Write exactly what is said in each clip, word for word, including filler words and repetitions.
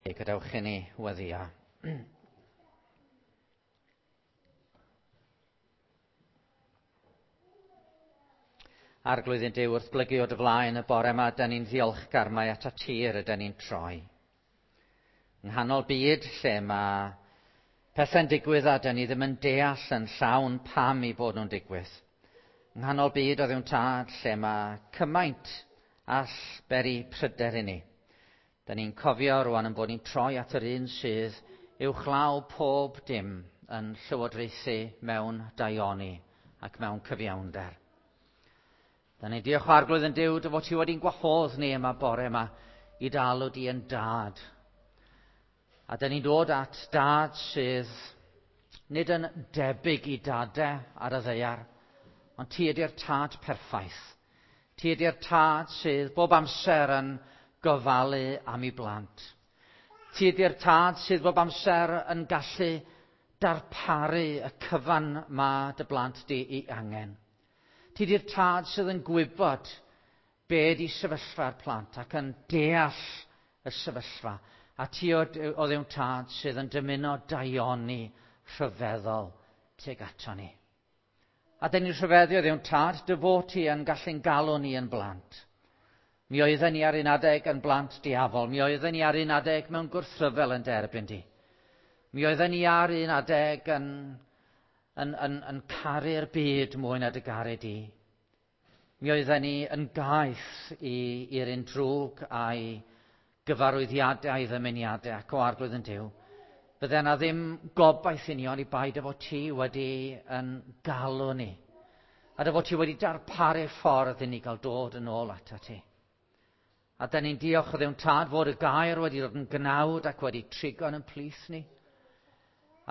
Gadewch i ni weddïo. Arglwydd ein Duw, wrth blygu o dy flaen y bore yma, da ni'n ddiolchgar mai atat ti rydyn ni'n troi. Yng nghanol byd lle mae pethau'n digwydd a da ni ddim yn deall yn llawn pam i bod nhw'n digwydd. Yng nghanol byd o Dduw'n Tad lle mae cymaint all beri pryder i ni. Da ni'n cofio rwan yn bod ni'n troi at yr un sydd uwchlaw pob dim yn llywodraethu mewn daioni ac mewn cyfiawnder. Da ni'n diolch o Arglwydd yn Duw dy fod ti wedi'n gwahodd ni yma bore yma i dalw di yn dad. A da ni'n dod at dad sydd nid yn debyg i dadau ar y ddaear, ond ti ydy'r tad perffaith. Ti ydy'r tad sydd bob amser yn gofalu am ei blant. Ti ydy'r tad sydd bob amser yn gallu darparu y cyfan mae dy blant di i angen. Ti ydy'r tad sydd yn gwybod be ydy sefyllfa'r plant ac yn deall y sefyllfa. A ti o Dduw'n Tad sydd yn dymuno daioni rhyfeddol tuag ato ni. A dyn ni'n rhyfeddu o Dduw'n Tad dy fod ti yn gallu'n galw ni yn blant. Mi oedden ni ar un adeg yn blant diafol. Mi oedden ni ar un adeg mewn gwrthryfel yn derbyn di. Mi oedden ni ar un adeg yn, yn, yn, yn caru'r byd mwy na dy garu di. Mi oedden ni yn gaeth i'r un drwg a'i gyfarwyddiadau a'i ddymuniadau ac o Arglwydd yn Duw. Bydde yna ddim gobaith i ni ond i bai dy fod ti wedi yn galw ni. A dy fod ti wedi darparu ffordd i ni gael dod yn ôl atat ti. A da ni'n diolch o Dduw'n Tad fod y gair wedi dod yn gnawd ac wedi trigo yn plith ni.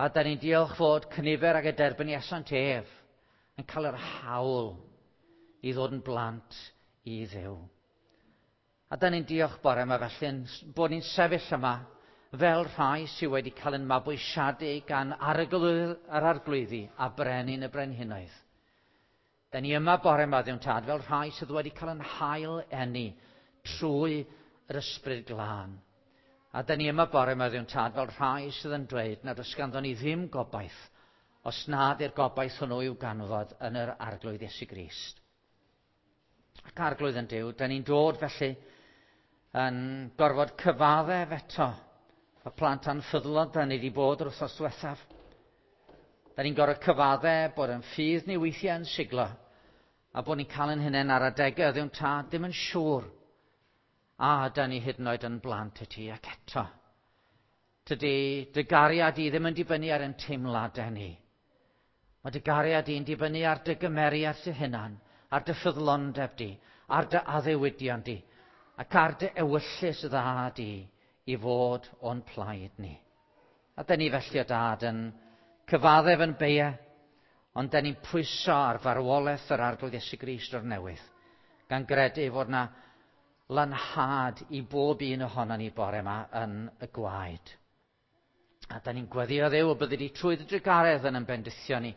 A da ni'n diolch fod cynifer ag y derbyniasant ef yn cael yr hawl i ddod yn blant i Dduw. A da ni'n diolch bore yma felly bod ni'n sefyll yma fel rhai sydd wedi cael yn mabwysiadu gan arglwydd yr arglwyddi a brenin y brenhinoedd. Da ni yma bore yma, Dduw'n Tad, fel rhai sydd wedi cael yn hail eni trwy yr ysbryd glân. A da ni yma bore yma, Dduw'n Tad, fel rhai sydd yn dweud nad oes ganddon ni ddim gobaith os nad yw'r gobaith hwnnw i'w ganfod yn yr Arglwydd Iesu Grist. Ac Arglwydd yn Duw, da ni'n dod felly yn gorfod cyfaddef eto y plant anffyddlon da ni wedi bod yr wythnos diwethaf. Da ni'n gorfod cyfaddef bod yn ffydd ni weithiau yn siglo a bod ni'n cael yn hunain ar adegau Dduw'n Tad ddim yn siŵr. A da ni hyd yn oed yn blant i ti ac eto. Tydi dy gariad i ddim yn dibynnu ar ein teimladau ni. Mae dy gariad i'n dibynnu ar dy gymeriad dy hunan, ar dy ffyddlondeb di, ar dy addewidion di, ac ar dy ewyllys dda di i fod o'n plaid ni. A da ni felly o Dad yn cyfaddef yn beia, ond da ni'n pwyso ar farwolaeth yr Arglwydd Iesu Grist o'r newydd, gan gredu fod na lanhad i bob un ohono ni bore yma yn y gwaed. A da ni'n gweddio Dduw y byddi di trwy dy drugaredd yn bendithio ni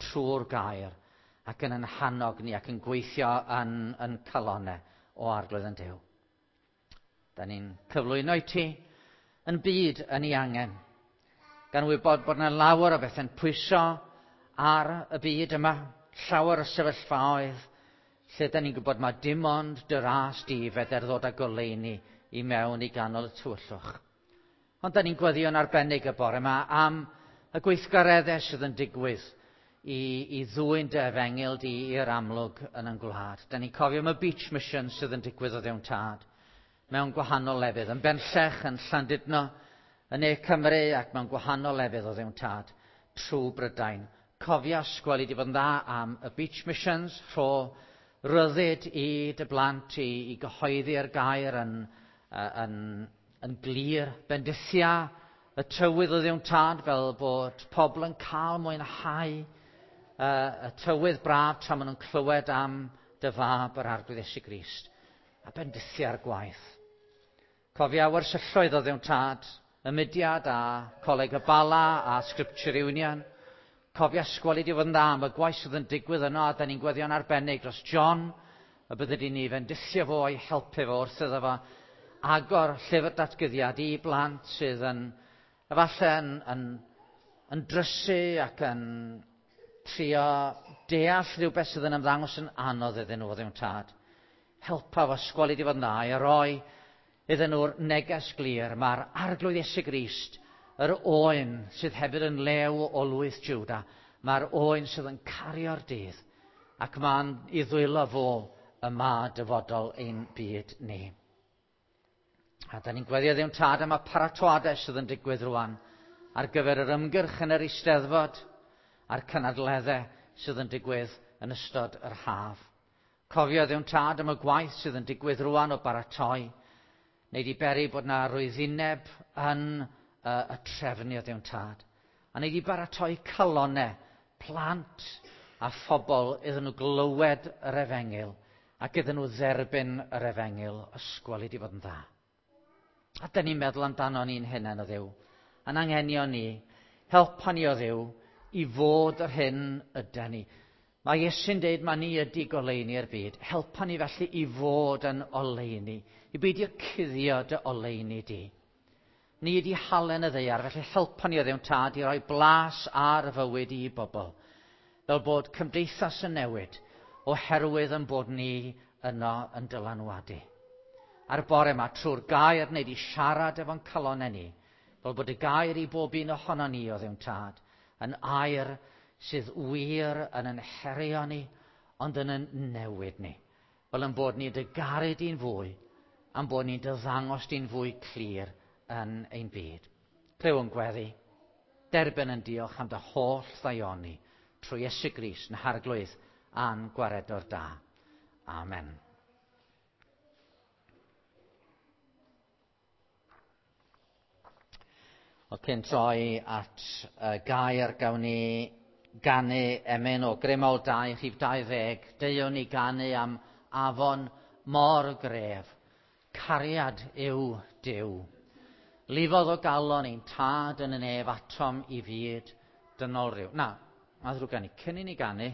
trwy'r gair ac yn yn hannog ni ac yn gweithio yn, yn calonau o Arglwydd yn Duw. Da ni'n cyflwyno i ti yn byd yn ei angen, gan wybod bod yna lawer o bethau'n pwyso ar y byd yma, llawer o sefyllfaoedd, lle da ni'n gwybod mae dim ond dy ras di feder ddod â goleuni i mewn i ganol y tywyllwch. Ond da ni'n gweddio'n arbennig y bore yma am y gweithgareddau sydd yn digwydd i, i ddwyn dy efengyl di i'r amlwg yn ein gwlad. Da ni'n cofio am y Beach Mission sydd yn digwydd o Dduw'n Tad mewn gwahanol lefydd, yn Benllech, yn Llandudno, yn Ne Cymru ac mewn gwahanol lefydd o Dduw'n Tad trwy Brydain. Cofia sgweli di fod yn dda am y Beach Missions, rho ryddid i dy blant i, i gyhoeddi'r gair yn, yn, yn glir. Bendithia y tywydd o Dduw'n Tad fel bod pobl yn cael mwynhau uh, y tywydd braf tra maen nhw'n clywed am dy fab yr Arglwydd Iesu Grist. A bendithia'r gwaith. Cofia wersylloedd o Dduw'n Tad, y mudiad a Coleg y Bala a Scripture Union. Cofia sgweli di fod yn dda am y gwaith sydd yn digwydd yno, a da ni'n gweddio'n arbennig dros John, y bydde di ni fendithio fo a'i helpu fo wrth iddo fo agor llyfr datguddiad i blant sydd yn efallai yn, yn, yn drysu ac yn trio deall rhywbeth sydd yn ymddangos yn anodd iddyn nhw, o Dduw Tad. Helpa fo ysgoli di fod yn dda i roi iddyn nhw'r neges glir. Mae'r Arglwydd Iesu Grist, yr oen sydd hefyd yn lew o lwyth Jwda, mae'r oen sydd yn cario'r dydd, ac mae'n i ddwylo fo y ma dyfodol ein byd ni. A da ni'n gweddio Dduw Tad am y paratoadau sydd yn digwydd rwan ar gyfer yr ymgyrch yn yr Eisteddfod a'r cynadleddau sydd yn digwydd yn ystod yr haf. Cofio Dduw Tad am y gwaith sydd yn digwydd rwan o baratoi, neu di beri bod na rwyddineb yn y, y trefnu o Dduw Tad. A neu di baratoi calonau, plant a phobl iddyn nhw glywed yr efengyl ac iddyn nhw dderbyn yr efengyl, ysgol i di fod yn dda. A dyn ni'n meddwl amdano ni'n hunain o Dduw, a'n anghenion ni, helpa ni o Dduw i fod yr hyn ydan ni. Mae Iesu'n deud mae ni ydi goleuni'r byd. Helpa ni felly i fod yn oleuni, i beidio cuddio dy oleuni di. Ni ydi halen y ddaear, felly helpa ni o Dduw Tad i roi blas ar y fywyd i bobl, fel bod cymdeithas yn newid oherwydd yn bod ni yno yn dylanwadu. A'r bore yma, trwy'r gair wneud i siarad efo'n calonnau ni, fel bod y gair i bob un ohono ni o Dduw Tad yn air sydd wir yn yn herio ni, ond yn yn newid ni. Fel yn bod ni'n dy garu di'n fwy, a'n bod ni'n dy ddangos di'n fwy clir yn ein byd. Clyw yn gweddi, derbyn yn diolch am dy holl ddaioni trwy Iesu Grist yn Harglwydd a'n gwaredwr da. Amen. Wel, cyn troi at y gair, gawn ni ganu emyn o Grymol dau, rhif dau ddeg. Deuwn ni ganu am afon mor gref. Cariad yw Duw. Lifodd o galon ein tad yn y nef atom i fyd dynol ryw. Na, mae ddrwg gen i, cyn i ni ganu,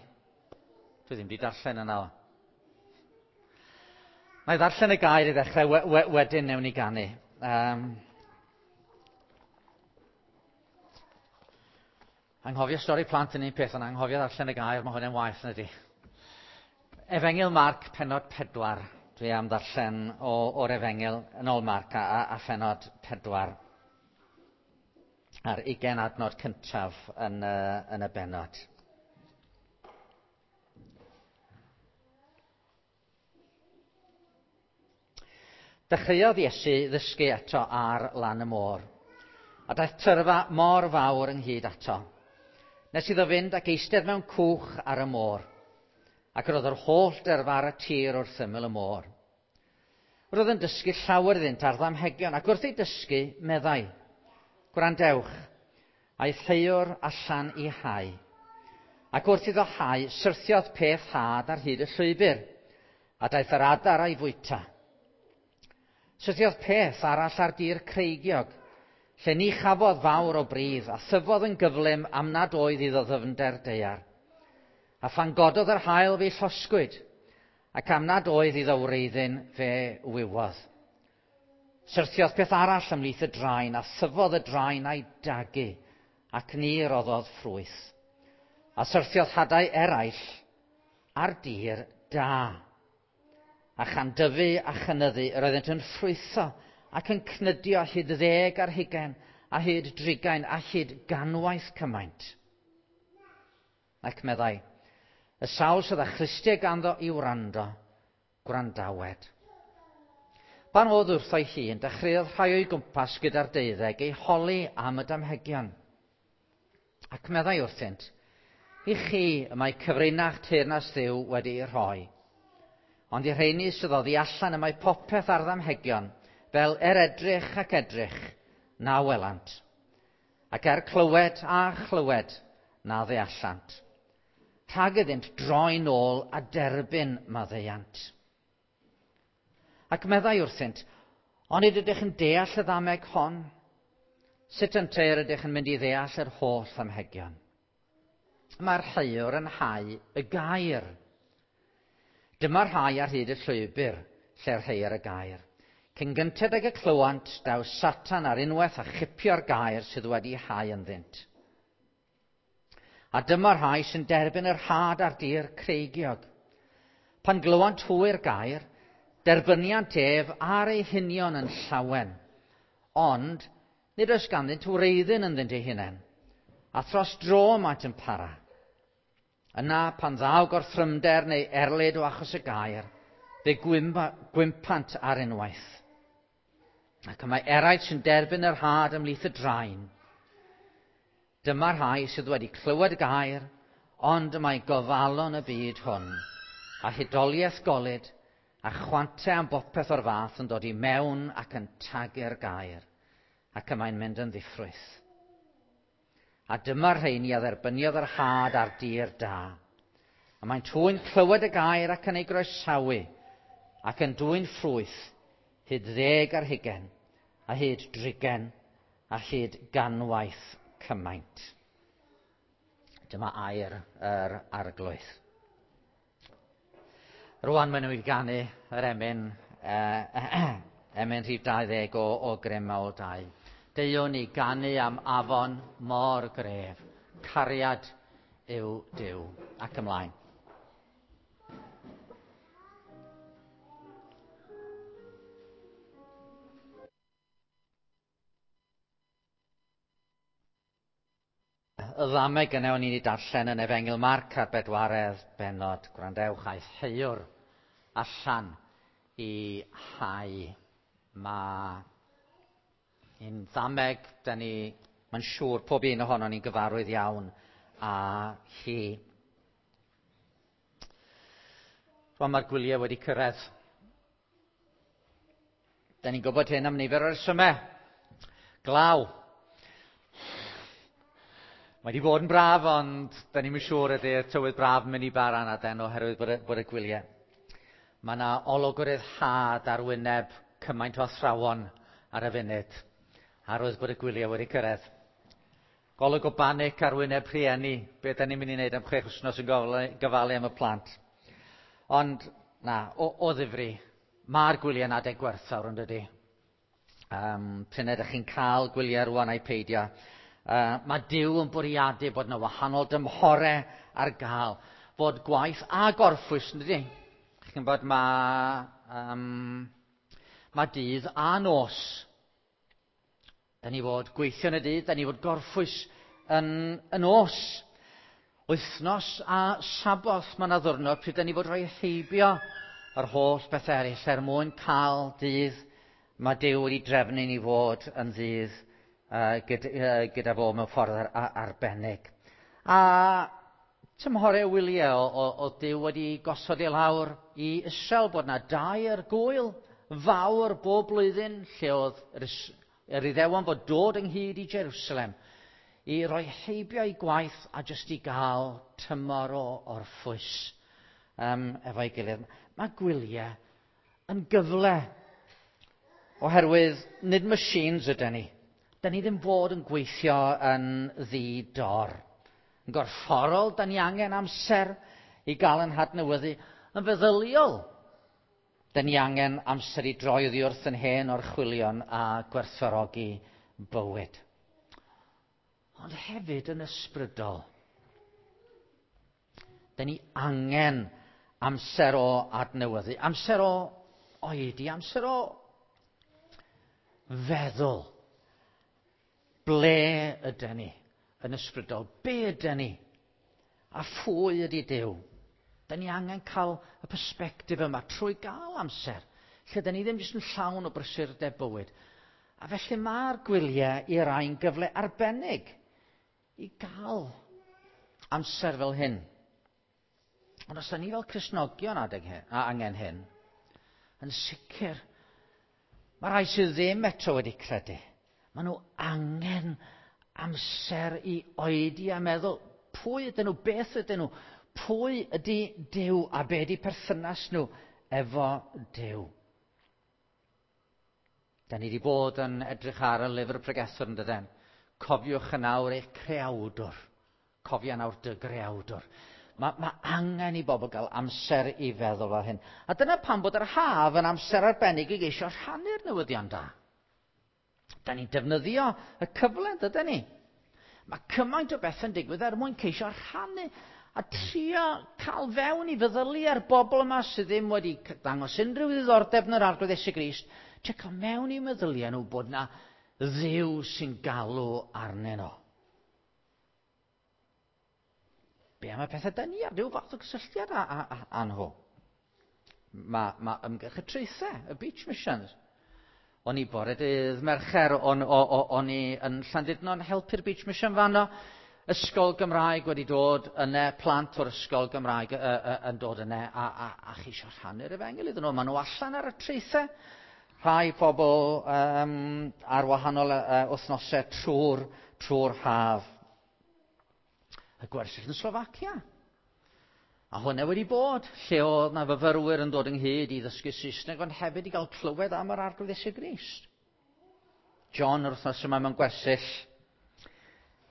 dwi ddim wedi darllen yna. Na i ddarllen y gair i ddechrau, we, we, wedyn newn ni ganu. Um, Anghofio stori plant yn un peth, ond anghofio ddarllen y gair, mae hwnna'n waeth na di. Efengyl Marc, pennod pedwar. Dwi am ddarllen o, o'r Efengyl yn ôl Marc a, a, a phennod pedwar. A'r ugain adnod cyntaf yn, uh, yn y bennod. Dechreuodd Iesu ddysgu eto ar lan y môr, a daeth tyrfa mor fawr ynghyd ato, nes iddo fynd ac eistedd mewn cwch ar y môr, ac roedd yr holl dyrfa ar y tir wrth ymyl y môr. Roedd yn dysgu llawer iddynt ar ddamhegion, ac wrth ei dysgu, meddai, gwrandewch, aeth heuwr allan i hau. Ac wrth iddo hau, syrthiodd peth had ar hyd y llwybr, a daeth yr adar a'i fwyta. Syrthiodd peth arall ar dir creigiog, lle ni chafodd fawr o bridd, a thyfodd yn gyflym am nad oedd iddo ddyfnder daear. A phan gododd yr haul fe llosgwyd, ac am nad oedd iddo wreiddyn fe wywodd. Syrthiodd peth arall ymhlith y draen, a thyfodd y draen a'i dagu, ac ni roddodd ffrwyth. A syrthiodd hadau eraill ar dir da. A chan dyfu a chynyddu, yr oeddent yn ffrwytho ac yn cnydio hyd ddeg ar hugain, a hyd drigain, a hyd ganwaith cymaint. Ac meddai, y sawl sydd â chlustiau ganddo i wrando, gwrandawed. Pan oedd wrtho'i hun, dechreuodd rhai o'i gwmpas gyda'r deuddeg ei holi am y damhegion. Ac meddai wrthynt, i chi y mae cyfrinach teyrnas Dduw wedi'i rhoi. Ond i'r rheini sydd oddi allan y mae popeth ar ddamhegion, fel er edrych ac edrych, na welant. Ac er clywed a chlywed, na ddeallant. Rhag iddynt droi nôl a derbyn maddeuant. Ac meddai wrthynt, onid ydych yn deall y ddameg hon? Sut ynteu yr ydych yn mynd i ddeall yr holl ddamhegion? Mae'r heuwr yn hau y gair. Dyma'r rhai ar hyd y llwybr lle'r heuir y gair. Cyn gynted ag y clywant, daw Satan ar unwaith a chipio'r gair sydd wedi hau ynddynt. A dyma'r rhai sy'n derbyn yr had ar dir creigiog. Pan glywant hwy'r gair, derbyniant ef ar eu hunion yn llawen. Ond nid oes ganddynt wreiddyn ynddynt eu hunain, a thros dro maent yn para. Yna, pan ddaw gorthrymder neu erlid o achos y gair, fe gwympant ar unwaith. Ac y mae eraill sy'n derbyn yr had ymhlith y draen. Dyma'r rhai sydd wedi clywed y gair, ond y mae gofalon y byd hwn, a hudoliaeth golud, a chwantau am bopeth o'r fath yn dod i mewn ac yn tagu'r gair, ac y mae'n mynd yn ddiffrwyth. A dyma'r rheini a dderbyniodd yr had ar dir da. A mae'n hwy'n clywed y gair ac yn ei groesawu, ac yn dwyn ffrwyth, hyd ddeg ar hugain, a hyd drigain, a hyd ganwaith cymaint. Dyma air yr Arglwydd. Rwan maen nhw wedi ganu yr emyn, eh, emyn rhif dau ddeg o, o Grym Mawl dau. Deuwn ni ganu am afon mor gref. Cariad yw Duw. Ac ymlaen. Y ddameg yna o'n i'n ei darllen yn Efengyl Marc ar bedwaredd bennod. Gwrandewch, aeth heuwr allan i hau. Mae un ddameg, da ni, mae'n siŵr pob un ohonon ni'n gyfarwydd iawn â hi. Rwan mae'r gwyliau wedi cyrraedd. Da ni'n gwybod hyn am nifer o resymau. Glaw. Mae wedi bod yn braf, ond da ni'm yn siŵr ydy'r tywydd braf yn mynd i bara na den oherwydd bod y, bod y gwyliau. Mae yna olwg o ryddhad ar wyneb cymaint o athrawon ar y funud, arwydd bod y gwyliau wedi cyrraedd. Golwg o banic ar wyneb rhieni, be da ni'n mynd i wneud am chwech wythnos yn gofalu am y plant. Ond, na, o, o ddifri, mae'r gwyliau'n adeg gwerthfawr yn dydi. Um, Pryd ydych chi'n cael gwyliau rwan a'i peidio. Uh, mae Duw yn bwriadu bod yna wahanol dymhorau ar gael, fod gwaith a gorffwys, yn dydi? Chi'n gwybod, mae, um, mae dydd a nos. Da ni fod gweithio yn y dydd, da ni fod gorffwys yn y nos. Wythnos a Saboth, mae yna ddwrnod pryd da ni fod rhoi heibio yr holl beth eraill er mwyn cael dydd mae Duw wedi drefnu ni fod yn ddydd uh, gyda, uh, gyda fo mewn ffordd ar, ar, arbennig. A tymhorau wyliau o, o, o Duw wedi gosod i lawr i Israel bod yna dair gwyl fawr bob blwyddyn lle oedd yr, yr Iddewon fod dod ynghyd i Jerusalem i roi heibio i gwaith a jyst i gael tymor o orffwys um, efo'i gilydd. Mae gwyliau yn gyfle oherwydd nid machines ydyn ni. Da ni ddim fod yn gweithio yn ddi-dor. Yn gorfforol, da ni angen amser i gael yn hadnewyddu. Yn feddyliol, da ni angen amser i droi oddi wrth yn hen orchwylion a gwerthfawrogi bywyd. Ond hefyd yn ysbrydol, da ni angen amser o adnewyddu, amser o oedi, amser o feddwl. Ble ydyn ni yn ysbrydol? Be ydyn ni? A phwy ydy Duw? Da ni angen cael y persbectif yma trwy gael amser, lle da ni ddim jyst yn llawn o brysurdeb bywyd. A felly mae'r gwyliau i rai'n gyfle arbennig i gael amser fel hyn. Ond os da ni fel Cristnogion adeg hyn, a angen hyn, yn sicr, mae rhai sydd ddim eto wedi credu. Maen nhw angen amser i oedi a meddwl, pwy ydyn nhw, beth ydyn nhw, pwy ydy Duw a be ydy perthynas nhw efo Duw. Da ni wedi bod yn edrych ar y lyfr pregethwr yn dydyn. Cofiwch yn awr eich creawdwr. Cofia nawr dy greawdwr. Mae, mae angen i bobl gael amser i feddwl fel hyn. A dyna pam bod yr haf yn amser arbennig i geisio rhannu'r newyddion da. Da ni'n defnyddio y cyfle, dydyn ni? Mae cymaint o bethau'n digwydd er mwyn ceisio rhannu a trio cael fewn i feddyliau'r bobl yma sydd ddim wedi dangos unrhyw ddiddordeb yn yr Arglwydd Iesu Grist, trio cael mewn i meddyliau nhw bod na Dduw sy'n galw arnyn nhw. Be am y pethau da ni ar ryw fath o gysylltiad â, â, â, â nhw? Mae, mae ymgyrch y traethau, y Beach Missions. O'n i bore dydd Mercher, o'n, o, o, o'n i yn Llandudno yn helpu'r Beach Mission fanno. Ysgol Gymraeg wedi dod yna, plant o'r ysgol Gymraeg y, y, yn dod yna a, a, a chi eisiau rhannu'r efengyl iddyn nhw. Maen nhw allan ar y traethau. Rhai pobl um, ar wahanol uh, wythnosau trwy'r trwy'r haf. Y gwersyll yn Slofacia. A hwnna wedi bod, lle oedd na fyfyrwyr yn dod ynghyd i ddysgu Saesneg, ond hefyd i gael clywed am yr Arglwydd Iesu Grist. John yr wythnos yma mewn gwersyll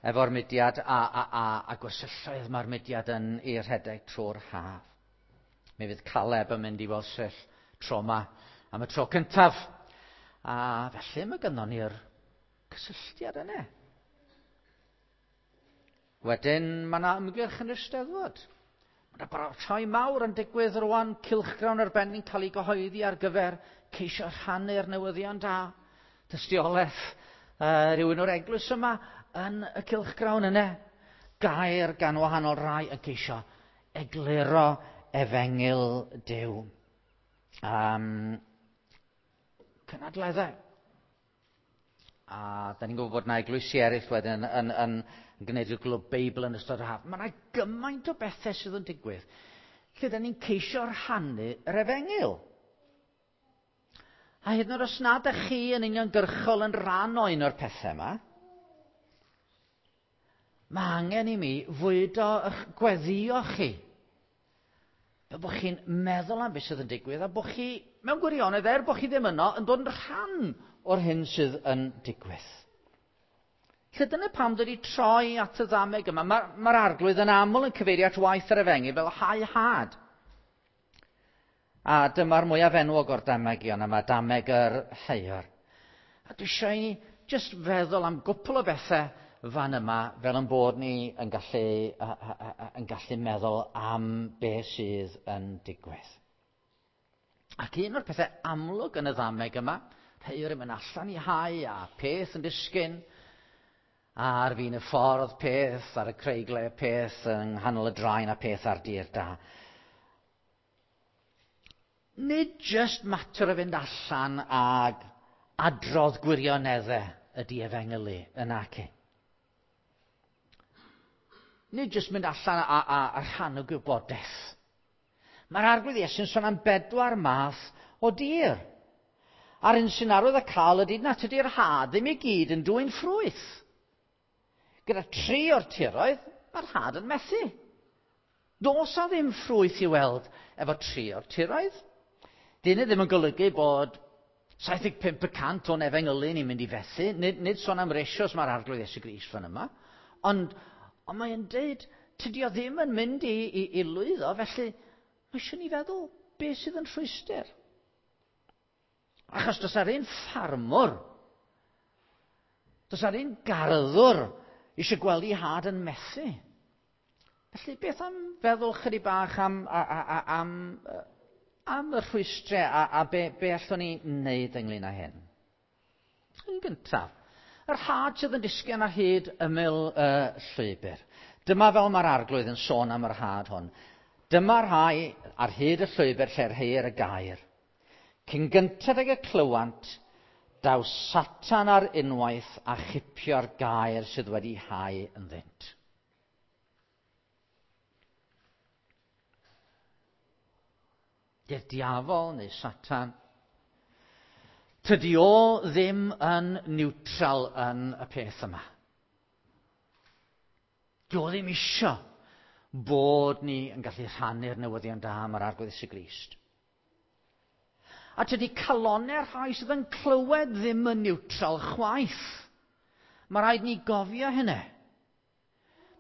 efo'r mudiad a, a, a, a gwersylloedd mae'r mudiad yn ei rhedeg trwy'r haf. Mi fydd Caleb yn mynd i wersyll tro yma am y tro cyntaf. A felly mae gynnon ni'r cysylltiad yna. Wedyn mae yna ymgyrch yn yr Eisteddfod. Mae yna baratoi mawr yn digwydd rwan, cylchgrawn arbennig cael ei gyhoeddi ar gyfer ceisio rhannu'r newyddion da. Tystiolaeth uh, rhywun o'r eglwys yma yn y cylchgrawn yna. Gair gan wahanol rai yn ceisio egluro efengyl Duw. Um, cynadleddau. A da ni'n gwybod bod yna eglwysi eraill wedyn yn, yn, yn, yn gwneud y glwb Beibl yn ystod yr haf. Mae yna gymaint o bethau sydd yn digwydd lle da ni'n ceisio rhannu yr efengyl. A hyd yn oed os nad ydych chi yn uniongyrchol yn rhan o un o'r pethau yma, mae angen i mi fwydo eich gweddio chi. Fel bod chi'n meddwl am beth sydd yn digwydd a bod chi, mewn gwirionedd, er bod chi ddim yno, yn dod yn rhan o'r hyn sydd yn digwydd. Lle dyna pam dwi wedi troi at y ddameg yma. Mae'r ma Arglwydd yn aml yn cyfeirio at waith yr efengyl fel hau had. A dyma'r mwyaf enwog o'r damegion yma, dameg yr heuwr. A dwi eisiau i ni jyst feddwl am gwpl o bethau fan yma, fel yn bod ni yn gallu, a, a, a, yn gallu meddwl am beth sydd yn digwydd. Ac un o'r pethau amlwg yn y ddameg yma, heuwr yn mynd allan i hau a peth yn disgyn, ar fin y ffordd peth, ar y creigle peth, yng nghanol y draen a peth ar dir da. Nid jyst mater o fynd allan ag adrodd gwirioneddau ydy efengylu yn ac. Nid jyst mynd allan a, a, a rhan o gwybodaeth. Mae'r Arglwydd Iesu'n sôn am bedwar math o dir. A'r un sy'n arwydd y cael ydy na tydi'r had ddim i gyd yn dwyn ffrwyth. Gyda tri o'r tiroedd, mae'r had yn methu. Does a ddim ffrwyth i weld efo tri o'r tiroedd. Dyn ddim yn golygu bod saith deg pump y cant o'n efengylu ni'n mynd i fethu. Nid, nid sôn am ratios mae'r Arglwydd Iesu Grist fan yma. Ond, ond mae'n deud, tydi o ddim yn mynd i, i, i lwyddo, felly mae eisiau ni feddwl beth sydd yn rhwystr. Achos does ar un ffarmwr, does ar un garddwr eisiau gweld ei had yn methu. Felly beth am feddwl chydig bach am, a, a, a, am, am y rhwystrau a, a be, be allwn ni wneud ynglyn â hyn? Yn gyntaf, yr had sydd yn disgyn ar hyd ymyl y llwybr. Dyma fel mae'r Arglwydd yn sôn am yr had hwn. Dyma rhai ar hyd y llwybr lle'r heir y gair. Cyn gynted ag y clywant, daw Satan ar unwaith a chipio'r gair sydd wedi hau ynddynt. Di'r diafol neu Satan, tydi o ddim yn neutral yn y peth yma. Dio ddim isio bod ni yn gallu rhannu'r newyddion da am yr Arglwydd Iesu Grist. A tydi calonnau'r rhai sydd yn clywed ddim yn neutral chwaith. Mae rhaid ni gofio hynny.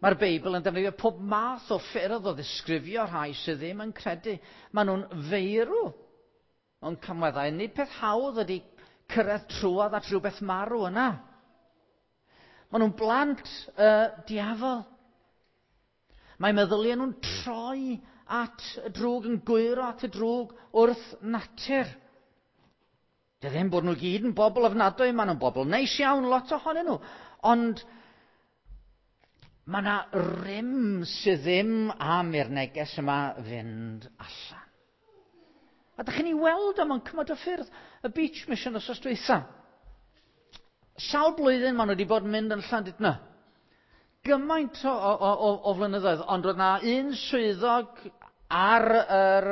Mae'r Beibl yn defnyddio pob math o ffyrdd o ddisgrifio rhai sydd ddim yn credu. Maen nhw'n feirw o'n camweddau. Nid peth hawdd ydy cyrraedd trwodd at rhywbeth marw yna. Maen nhw'n blant y diafol. Mae meddyliau nhw'n troi at y drwg, yn gwyro at y drwg wrth natur. Dy ddim bod nhw gyd yn bobl ofnadwy, maen nhw'n bobl neis iawn, lot ohonyn nhw. Ond mae yna rym sydd ddim am i'r neges yma fynd allan. A dych chi'n ei weld o mewn cymaint o ffyrdd. Y Beach Mission wsos dwytha. Sawl blwyddyn maen nhw wedi bod yn mynd yn Llandudno. Gymaint o, o, o, o flynyddoedd, ond roedd yna un swyddog ar, yr,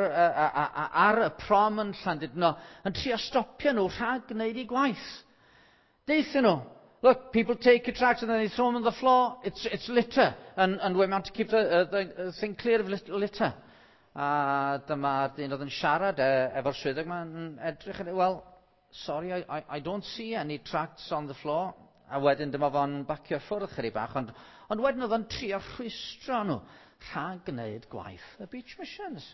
ar y prom yn Llandudno yn trio stopio nhw rhag gwneud eu gwaith. Deuthon nhw, look, people take your tracts and then they throw them on the floor. It's, it's litter, and, and we're meant to keep the, uh, the thing clear of litter. A dyma'r dyn oedd yn siarad e, efo'r swyddog yma'n edrych yn, well, sorry, I, I, I don't see any tracts on the floor. A wedyn dyma fo'n bacio ffwrdd chydig bach, ond, ond wedyn oedd o'n trio rhwystro nhw rhag gwneud gwaith y Beach Missions.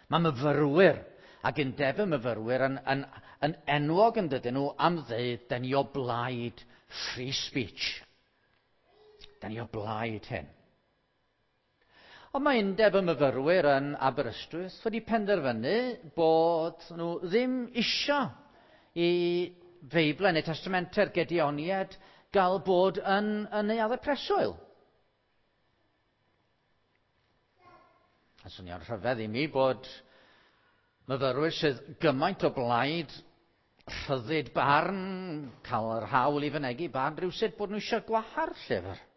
Mae myfyrwyr ac undeb y myfyrwyr yn, yn, yn enwog yn dydyn nhw am ddeud, da ni o blaid free speech. Da ni o blaid hyn. Ond mae undeb y myfyrwyr yn Aberystwyth wedi penderfynu bod nhw ddim isio i Feiblau neu Testamentau'r Gedeoniaid gael bod yn, yn neuaddau preswyl. A swnio'n rhyfedd i mi bod myfyrwyr sydd gymaint o blaid rhyddid barn, cael yr hawl i fynegi barn, rhywsut bod nhw eisiau gwahardd llyfr.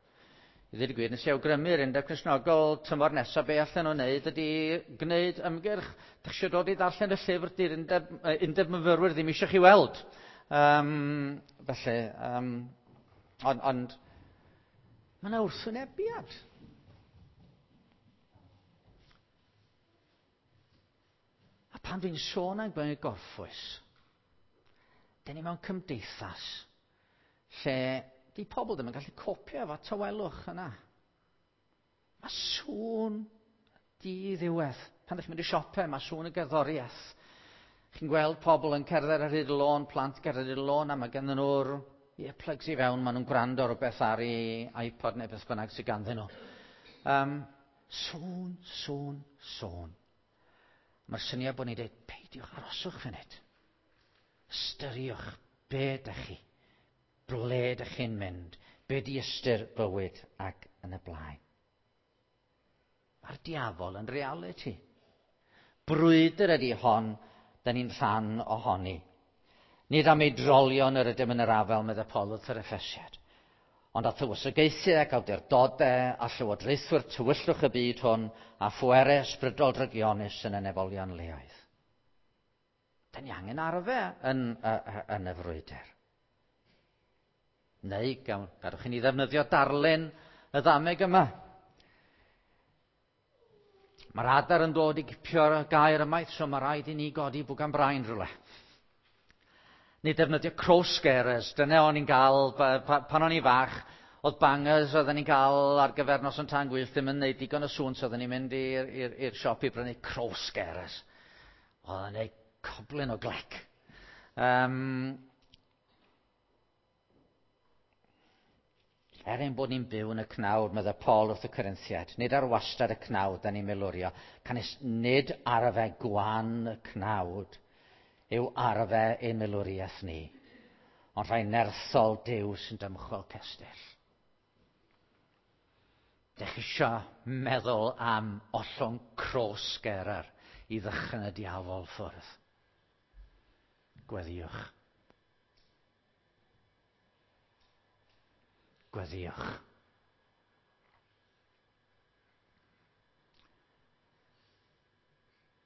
I ddweud y gwir, nes i awgrymu'r Undeb Cristnogol tymor nesaf be allan nhw'n wneud ydy gwneud ymgyrch. Dych chi eisiau dod i ddarllen y llyfr, di'r undeb, undeb myfyrwyr ddim eisiau chi weld. Um, felly, um, ond, ond mae yna wrthwynebiad. A pan dwi'n sôn am gwneud gorffwys, dyn ni mewn cymdeithas lle di pobl ddim yn gallu copio efo tawelwch yna. Mae sŵn di-ddiwedd. Pan ydych chi'n mynd i siopau, mae sŵn y gerddoriaeth. Chi'n gweld pobl yn cerdded ar hyd y lôn, plant gerdded ar hyd y lôn, a mae ganddyn nhw'r earplugs i fewn, maen nhw'n gwrando ar rhywbeth ar ei iPod neu beth bynnag sydd ganddyn nhw. Um, sŵn, sŵn, sŵn. Mae'r syniad bod ni'n dweud, peidiwch, aroswch funud. Ystyriwch be ydych chi, ble ydych chi'n mynd, be di ystyr bywyd ac yn y blaen. Mae'r diafol yn reality. Brwydr ydy hon, da ni'n rhan ohoni. Nid am ei drolion yr ydym yn yr afel, meddai Paul wrth yr Effesiad, ond a thywysogaethau ac awdurdodau a llywodraethwyr tywyllwch y byd hwn a phwerau ysbrydol drygionus yn y nefolion leoedd. Da ni angen arfer yn, yn y frwydr. Neu, gadwch i ni ddefnyddio darlun y ddameg yma. Mae'r adar yn dod i gipio'r gair ymaith, so mae rhaid i ni godi bwgan brain rhywle. Neu defnyddio crow scarers. Dyna o'n i'n gael, pan o'n i fach, oedd bangers oedden ni'n gael ar gyfer noson tân gwyllt ddim yn neud digon o sŵn, so oedden ni'n mynd i'r siop i brynu crow scarers. Oedd yn neud coblyn o glec. Um, Er ein bod ni'n byw yn y cnawd, meddai Paul wrth y Corinthiaid, nid ar wastad y cnawd da ni'n milwrio, canys nid arfe gwan y cnawd yw arfe ein milwriaeth ni, ond rhai nerthol Duw sy'n dymchwel cestyll. Dych isio meddwl am ollwng cross-gerer i ddychryn y diafol ffwrdd. Gweddïwch. Gweddïwch.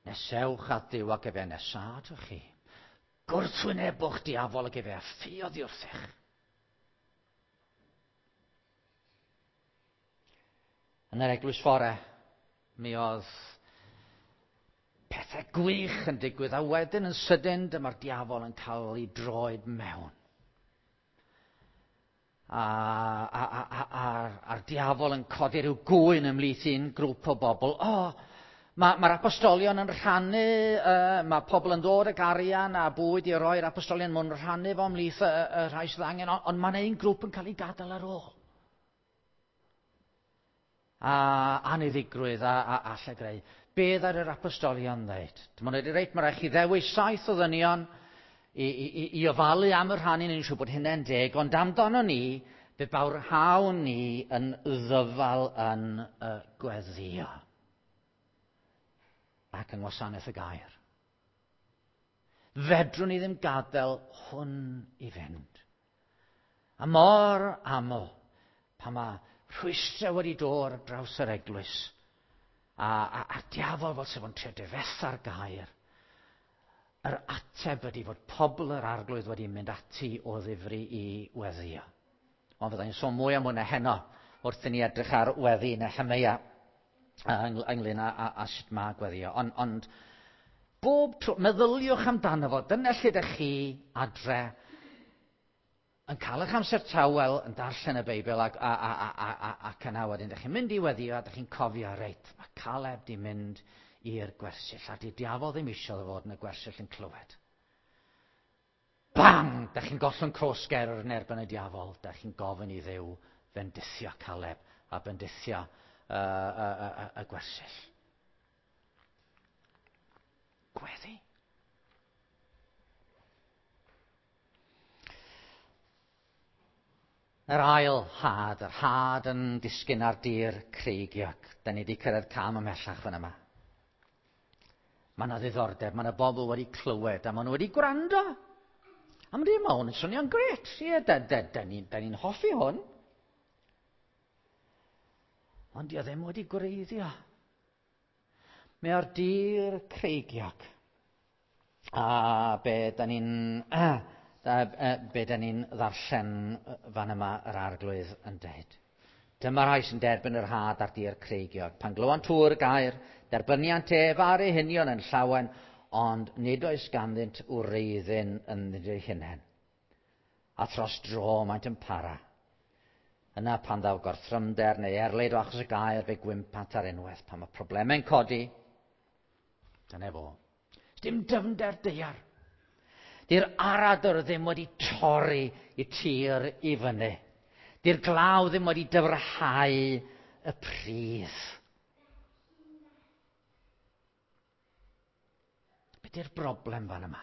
Nesewch at Dduw ac efe nesaf atoch chi. Gwrthwynebwch diafol ac efe a ffiodd i wrthych. Yn yr eglwys fore, mi oedd pethau gwych yn digwydd, a wedyn yn sydyn dyma'r diafol yn cael ei droed mewn. A, a, a, a, a'r, a'r diafol yn codi rhyw gŵyn ymhlith un grŵp o bobl. O, mae'r ma apostolion yn rhannu, uh, mae pobl yn dod ag arian a bwyd i roi'r apostolion, maen nhw'n rhannu fo ymhlith y, y rhai sydd angen, ond, ond mae'n un grŵp yn cael ei gadael ar ôl. A aniddigrwydd a, a, a llygreu. Beth ar yr apostolion ddeud? Dyma nhw wedi reit, mae rhaid chi ddewis saith o ddynion i, i, i ofalu am y rhannu, ni'n siŵr bod hynny'n deg, ond amdano ni, fe bawrhawn ni yn ddyfal yn y gweddïo ac yng ngwasanaeth y gair. Fedrwn ni ddim gadael hwn i fynd. A mor aml, pan mae rhwystrau wedi dod ar draws yr eglwys, a, a, a'r diafol fel sef o'n trio difetha'r gair, yr ateb ydy fod pobl yr Arglwydd wedi mynd ati o ddifri i weddïo. Ond fyddai'n sôn mwy am hwnna heno wrth i ni edrych ar weddi Nehemeia ynglyn â, â, â sut mae gweddio. Ond, ond bob tro, meddyliwch amdano fo, dyna lle ydych chi adre yn cael eich amser tawel yn darllen y Beibl ac, a, a, a, a, a, ac yna wedyn ydych chi'n mynd i weddio a ydych chi'n cofio, reit, mae Caleb di mynd i'r gwersyll, a di diafol ddim eisiau fod yn y gwersyll yn clywed. Bang! Dach chi'n gollwng croesger yn erbyn y diafol. Dach chi'n gofyn i Dduw fendithio Caleb a bendithio uh, y, y, y, y gwersyll. Gweddi. Yr ail had, yr had yn disgyn ar dir creigiog. Da ni wedi cyrraedd cam ymhellach fan yma. Mae yna ddiddordeb, mae yna bobl wedi clywed a maen nhw wedi gwrando. A maen nhw'n hwn yn swnio'n gret. Ie, da, da, da ni'n ni hoffi hwn. Ond di o ddim wedi gwreiddio. Mae o'r dir creigiog. A be da ni'n be da ni'n ddarllen fan yma yr Arglwydd yn dweud. Dyma rai sy'n derbyn yr had ar dir creigiog. Pan glywan tŵr gair, derbyniant ef ar eu hunion yn llawen, ond nid oes ganddynt wreiddyn ynddynt eu hunain. A thros dro maent yn para. Yna pan ddaw gorthrymder neu erlid o achos y gair, fe gwympant ar unwaith. Pan mae problemau'n codi, dyna fo. Dim dyfnder daear. Di'r aradr ddim wedi torri i tir i fyny. Di'r glaw ddim wedi dyfrhau y pridd. Be di'r broblem fan yma?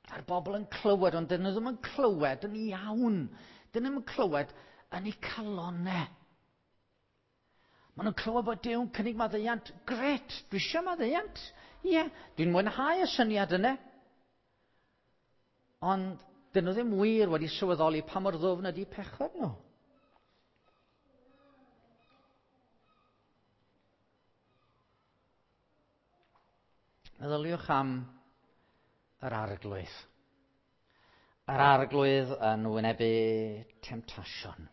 A'r bobl yn clywed, ond dyn nhw ddim yn clywed yn iawn. Dyn nhw ddim yn clywed yn eu calonnau. Maen nhw'n clywed bod Duw'n cynnig maddeuant. Gret, dwi eisiau maddeuant. Ie, dwi'n mwynhau y syniad yna. Ond dyn nhw ddim wir wedi sylweddoli pa mor ddwfn ydy pechod nhw. Meddyliwch am yr Arglwydd. Yr Arglwydd yn wynebu temtasiwn.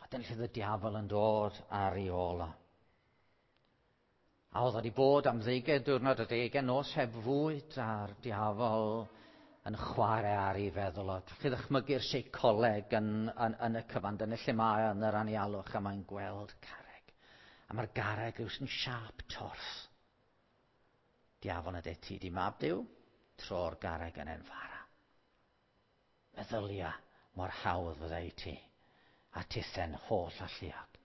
A dyna lle oedd y diafol yn dod ar ei ôl o. A oedd wedi bod am ddeugain diwrnod a deugain nos heb fwyd, a'r diafol yn chwarae ar ei feddwl o. Chi ddychmygu'r seicoleg yn, yn, yn y cyfan, dyna lle mae yn yr anialwch, a mae'n gweld carreg. A mae'r garreg yw sy'n siâp torth. Diafol yn dweud, ti di mab Duw, tro'r garreg yn enfara. Meddylia mor hawdd fyddai i ti, a tithen holl alluog.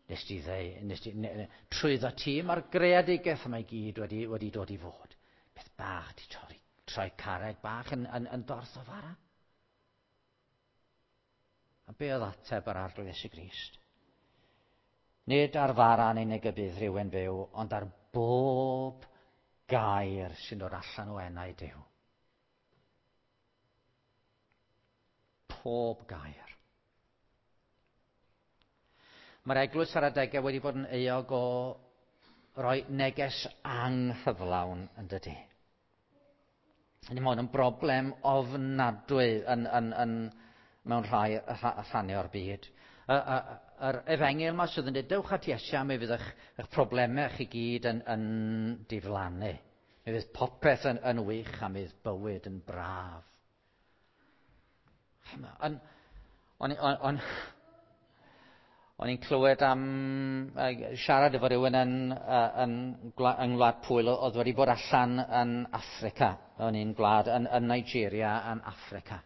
Nes ti ddeu, nes ti, ne, ne, trwyddo ti, mae'r greadigaeth yma i gyd wedi, wedi dod i fod. Beth bach ti torri, troi carreg bach yn, yn, yn dorth o fara. A be oedd ateb yr Arglwydd Iesu Grist? Nid ar fara yn unig y bydd rhywun fyw, ond ar bob gair sy'n dod allan o enau Duw. Pob gair. Mae'r eglwys ar adegau wedi bod yn euog o roi neges anghyflawn yn dydy. Mae hwn yn broblem ofnadwy yn, yn, yn, mewn rhai rhannau o'r byd. Yr efengyl yma sydd yn dweud, dewch at Iesu a mi fydd eich, eich problemau chi gyd yn, yn diflannu. Mi fydd popeth yn, yn wych a mi fydd bywyd yn braf. O'n, o'n, o'n, o'n i'n clywed am uh, siarad efo rhywun yn, uh, yn, yng Ngwlad Pwyl oedd wedi bod allan yn Affrica. O'n i'n gwlad yn, yn Nigeria yn Affrica.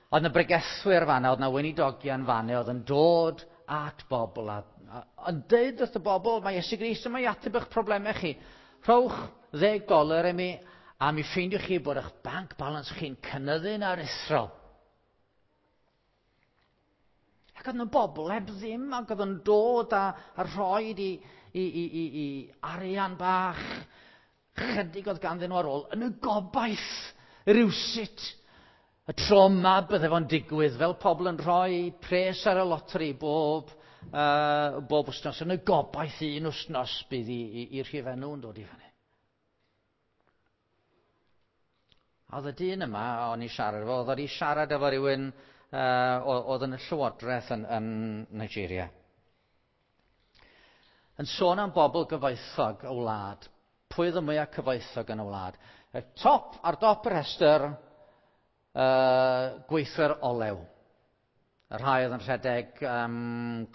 Oedd yna bregethwyr fanna, oedd yna weinidogion fanna, oedd yn dod at bobl a, a, yn deud wrth y bobl, mae Iesu Grist yma i ateb eich problemau chi. Rhowch ddeg doler i mi a mi ffeindiwch chi bod eich bank balance chi'n cynyddu'n aruthrol. Ac oedd yna bobl heb ddim ac oedd yn dod a, a rhoi i, i, i, i, i arian bach chydig oedd ganddyn nhw ar ôl yn y gobaith rywsut y tro yma bydde fo'n digwydd fel pobl yn rhoi pres ar y loteri bob, uh, bob wythnos yn y gobaith un wythnos bydd i'r rhifau nhw'n dod i fyny. A oedd y dyn yma, o'n i siarad efo, oedd wedi siarad efo rhywun uh, oedd yn y llywodraeth yn, yn Nigeria. Yn sôn am bobl gyfoethog y wlad. Pwy oedd y mwyaf cyfoethog yn y wlad? Y top, ar dop y rhestr, uh, gweithwyr olew. Y rhai oedd yn rhedeg um,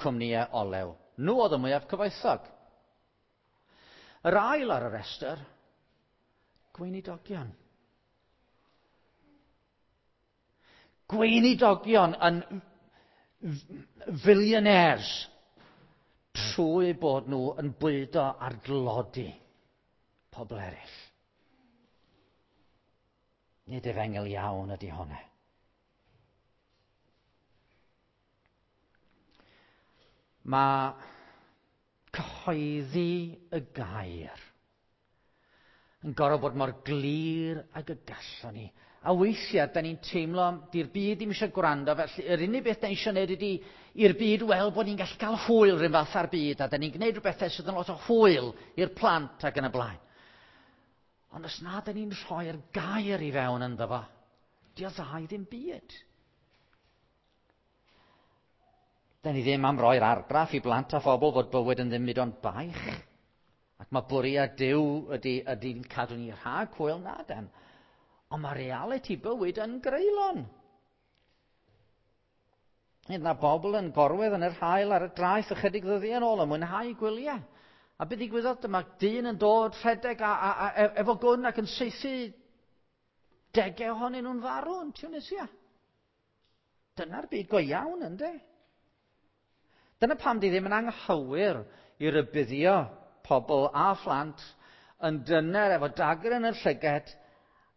cwmnïau olew. Nhw oedd y mwyaf cyfoethog. Yr ail ar y rhestr, gweinidogion. Gweinidogion yn fillionaires trwy bod nhw yn bwydo ar dlodi pobl eraill. Nid efengyl iawn ydy hwnna. Mae cyhoeddi y gair yn gorfod bod mor glir ag y gallwn ni. A weithiau, da ni'n teimlo, di'r byd ddim eisiau gwrando, felly yr unig beth da ni eisiau gwneud ydy i'r byd weld bod ni'n gallu cael hwyl rhywun fath ar byd, a da ni'n gwneud rhywbeth sydd yn lot o hwyl i'r plant ac yn y blaen. Ond os na da ni'n rhoi'r gair i fewn ynddo fo, di o dda i ddim byd. Da ni ddim am roi'r argraff i blant a phobl fod bywyd yn ddim byd ond baich. Ac mae bwriad Duw ydy, ydy'n cadw ni rhag hwyl na den. Ond mae realiti bywyd yn greulon. Nid na bobl yn gorwedd yn yr haul ar y draeth ychydig ddyddiau yn ôl yn mwynhau gwyliau. A beth ddigwyddodd, dyma dyn yn dod rhedeg a, a, a, efo gwn ac yn saethu degau ohonyn nhw'n farw yn Tunisia. Dyna'r byd go iawn, ynddo? Dyna pam di ddim yn anghywir i rybuddio pobl a phlant yn dyner efo dagr yn y llyged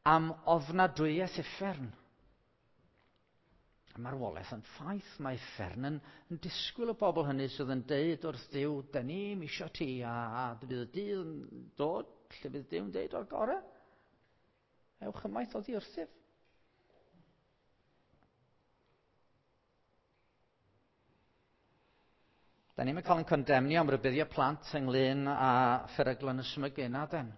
am ofnadwyaeth uffern. A marwolaeth yn ffaith, mae uffern yn, yn disgwyl y bobl hynny sydd yn deud wrth Dduw, da ni'm isio ti, a, a bydd y dydd yn dod lle bydd Duw'n deud o'r gorau. Ewch ymaith oddi wrthyf. Da ni'n cael ein condemnio am rybuddio plant ynglyn â pheryglon ysmygu, na den.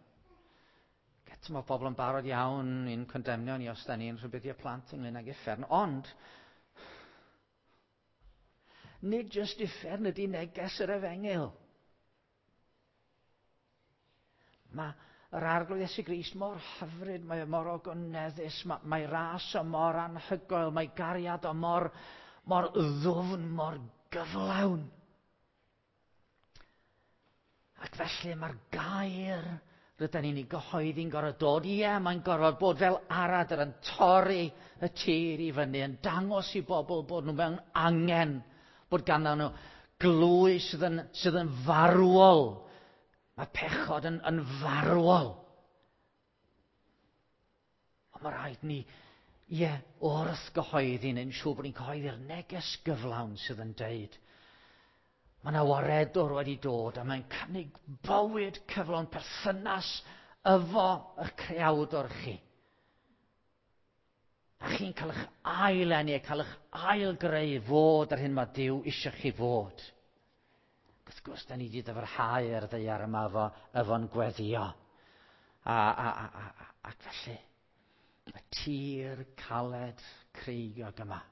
Eto mae bobl yn barod iawn i'n condemnio ni os da ni'n rhybuddio plant ynglyn ag uffern, ond nid jyst uffern ydy neges yr efengyl. Mae yr Arglwydd Iesu Grist mor hyfryd, mae o mor ogoneddus, mae, mae ras o mor anhygoel, mae gariad o mor, mor ddwfn, mor gyflawn. Ac felly mae'r gair rydyn ni'n ei gyhoeddi'n gorfod dod. Ie, mae'n gorfod bod fel aradr yn torri y tir i fyny, yn dangos i bobl bod nhw mewn angen, bod ganddyn nhw glwy sydd yn, sydd yn farwol. Mae pechod yn, yn farwol. Ond mae rhaid ni, ie, wrth gyhoeddi, neu'n siŵr bod ni'n cyhoeddi'r neges gyflawn sydd yn deud mae yna waredwr wedi dod a mae'n cynnig bywyd cyflawn perthynas efo y creawdor chi. A chi'n cael eich ail-eni, cael eich ail-greu fod ar hyn mae Duw eisiau chi fod. Wrth gwrs, da ni wedi dyfrhau ar ddaear yma efo, efo'n gweddio. A, a, a, a, ac felly, y tir caled creigiog yma,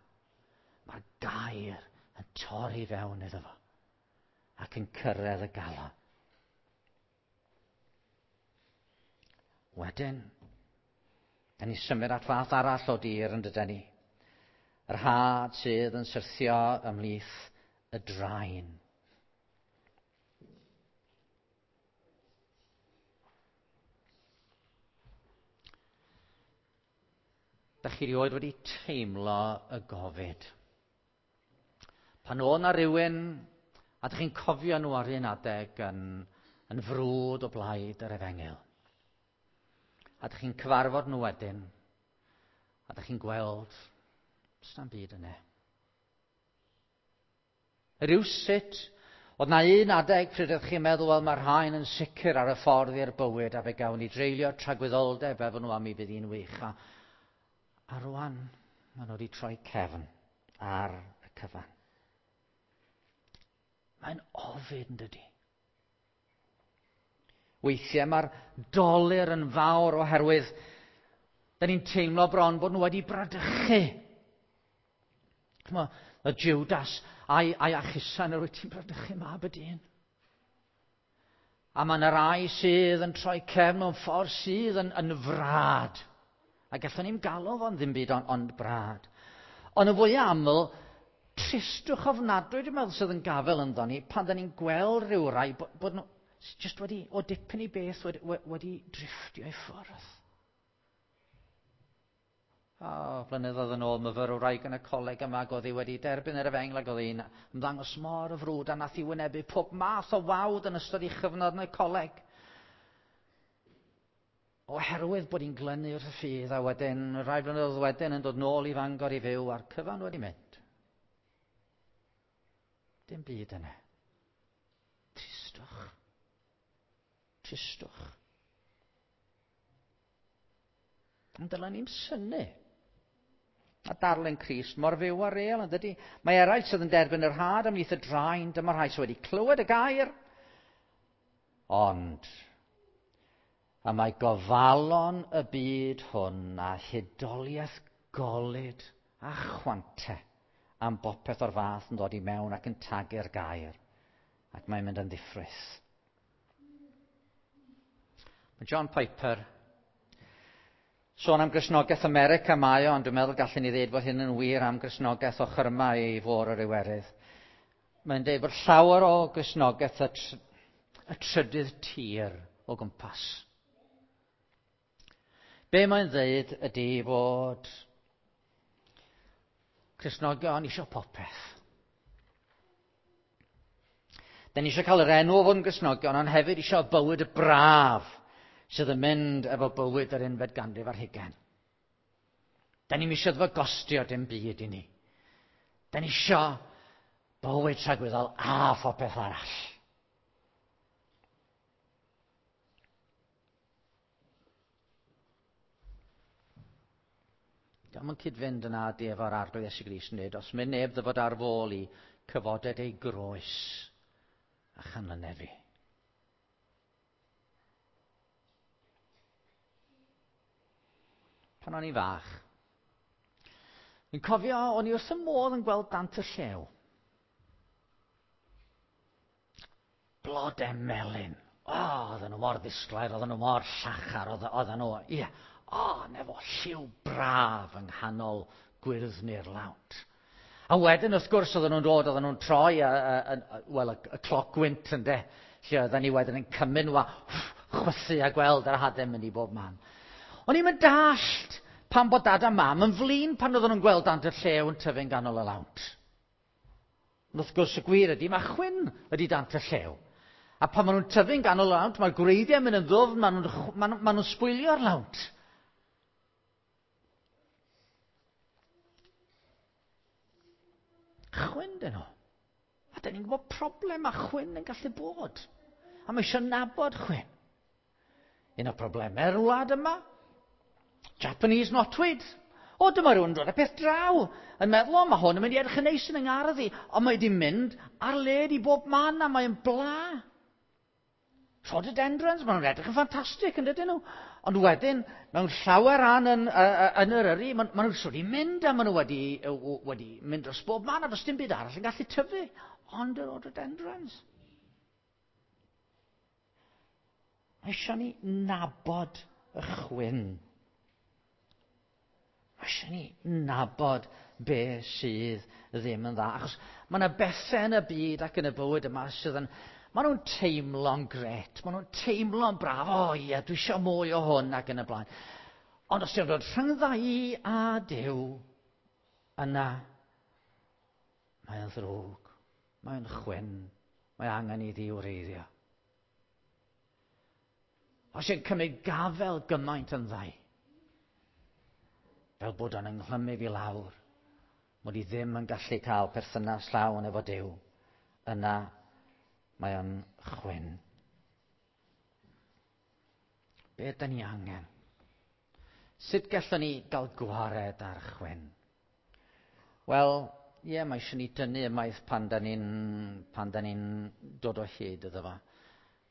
mae'r gair yn torri fewn iddo fo ac yn cyrraedd y galon. Wedyn, da ni symud at fath arall o dir yn dydyn ni. Yr had sydd yn syrthio ymhlith y draen. Dach chi rioed wedi teimlo y gofid? Pan oedd 'na rywun, a dach chi'n cofio nhw ar un adeg yn, yn frwd o blaid yr efengyl, a dach chi'n cyfarfod nhw wedyn, a dach chi'n gweld, does na'm byd yna. Rywsut, oedd 'na un adeg pryd oeddech chi'n meddwl, wel, mae'r rhain yn sicr ar y ffordd i'r bywyd, a fe gawn ni dreulio tragwyddoldeb efo nhw a mi fydd hi'n wych. A, a rwan, maen nhw wedi troi cefn ar y cyfan. Mae'n ofid, yn dydi? Weithiau mae'r dolur yn fawr oherwydd da ni'n teimlo bron bod nhw wedi bradychu. Ch'mo', y Judas a'i, a'i achusan, yr wyt ti'n bradychu mab y dyn. A mae yna rai sydd yn troi cefn mewn ffordd sydd yn, yn frad. A gallwn ni'm galw fo'n ddim byd ond, ond brad. Ond yn fwy aml, tristwch ofnadwy, dwi'n meddwl, sydd yn gafel ynddo ni, pan da ni'n gweld rhyw rai bod, bod nhw jyst wedi, o dipyn i beth, wedi, wedi drifftio i ffwrdd. O, blynyddoedd yn ôl, myfyrwraig yn y coleg yma, ac oedd hi wedi derbyn yr efengyl, ac oedd hi'n ymddangos mor y frwd, a nath hi wynebu pob math o wawd yn ystod ei chyfnod yn y coleg. Oherwydd bod hi'n glynu wrth y ffydd, a wedyn, rhai blynyddoedd wedyn, yn dod nôl i Fangor i fyw, a'r cyfan wedi mynd. Dim byd yna. Tristwch. Tristwch. Ond dylen ni'm synnu. A darllen Crist mor fyw a real, yn dydi? Mae eraill sydd yn derbyn yr had ymhlith y draen, dyma rhai sydd wedi clywed y gair. Ond, a mae gofalon y byd hwn a hudoliaeth golud a chwante am bopeth o'r fath yn dod i mewn ac yn tagu'r gair. Ac mae'n mynd yn ddiffrwyth. Mae John Piper sôn am Gristnogaeth America mae o, ond dwi'n meddwl gallwn ni ddweud bod hyn yn wir am Gristnogaeth ochr yma i fôr yr Iwerydd. Mae'n dweud bod llawer o Gristnogaeth y, tr y trydydd tir o gwmpas. Be mae'n dweud ydy fod Cristnogion eisiau popeth. Da ni eisiau cael yr enw o fod yn Gristnogion, ond hefyd eisiau bywyd y braf sydd yn mynd efo bywyd yr unfed ganrif ar hugain. Da ni'm eisiau iddo fo gostio dim byd i ni. Da ni eisiau bywyd tragwyddol a phopeth arall. Dio'm yn cyd-fynd yna di efo'r Arglwydd Iesu Grist yn dweud, os mynd neb ddyfod ar fôl i cyfoded ei groes a chanlyned fi. Pan o'n i fach, fi'n cofio o'n i wrth y modd yn gweld dant y llew. Blodau melyn. O, oedden nhw mor ddisglair, oedden nhw mor llachar, oedden nhw, ie. O, nefo lliw braf yng nghanol gwyrddni'r lawnt. A wedyn, wrth gwrs, oedden nhw'n dod, oedden nhw'n troi, a, a, a, wel, y, y cloc gwynt, ynde, lle oedden ni wedyn yn cymryd nhw a chwythu a gweld yr hadau mynd i bob man. O'n i'n mynd dallt pan bod dad a mam yn flin pan oedden nhw'n gweld dant y llew yn tyfu'n ganol y lawnt. Ond wrth gwrs, y gwir ydy, mae chwyn ydy dant y llew. A pan maen nhw'n tyfu'n ganol y lawnt, mae'r gwreiddiau mynd yn ddwfn, maen nhw'n, maen nhw'n, maen nhw'n sbwylio'r lawnt. Chwyn dyn nhw. A dyn ni'n gwybod problem mae chwyn yn gallu bod. A mae eisiau nabod chwyn. Un o'r problemau'r wlad yma, Japanese knotweed. O, dyma rhywun yn dod â peth draw. Yn meddwl, o, mae hwn yn mynd i edrych yn neis yn yng ngardd i. Ond mae wedi mynd ar led i bob man a mae'n bla. Rhododendrons, maen nhw'n edrych yn ffantastig, yn dydyn nhw. Ond wedyn, mewn llawer rhan yn, uh, yn yr Eryri, maen, maen nhw wedi mynd a maen nhw wedi, wedi mynd dros bob man a does dim byd arall yn gallu tyfu. Ond y rhododendrons. Mae eisiau ni nabod y chwyn. Mae eisiau ni nabod be sydd ddim yn dda. Achos mae yna bethau yn y byd ac yn y bywyd yma sydd yn... Maen nhw'n teimlo'n gret, maen nhw'n teimlo'n braf, o ie, dwi eisiau mwy o hwn ac yn y blaen. Ond os ti'n dod rhyngdda i a Duw, yna mae'n ddrwg, mae'n chwyn, mae angen i ddi wreiddio. Os ti'n cymryd gafel gymaint yn ddau, fel bod o'n ynghlymmu fi lawr, mod i ddim yn gallu cael perthynas llawn efo Duw, yna mae o'n chwyn. Be ydyn ni angen? Sut gallwn ni gael gwared ar chwyn? Wel, ie, yeah, mae eisiau ni dynnu ymaith pan da ni'n pan da ni'n dod o hyd iddo fo.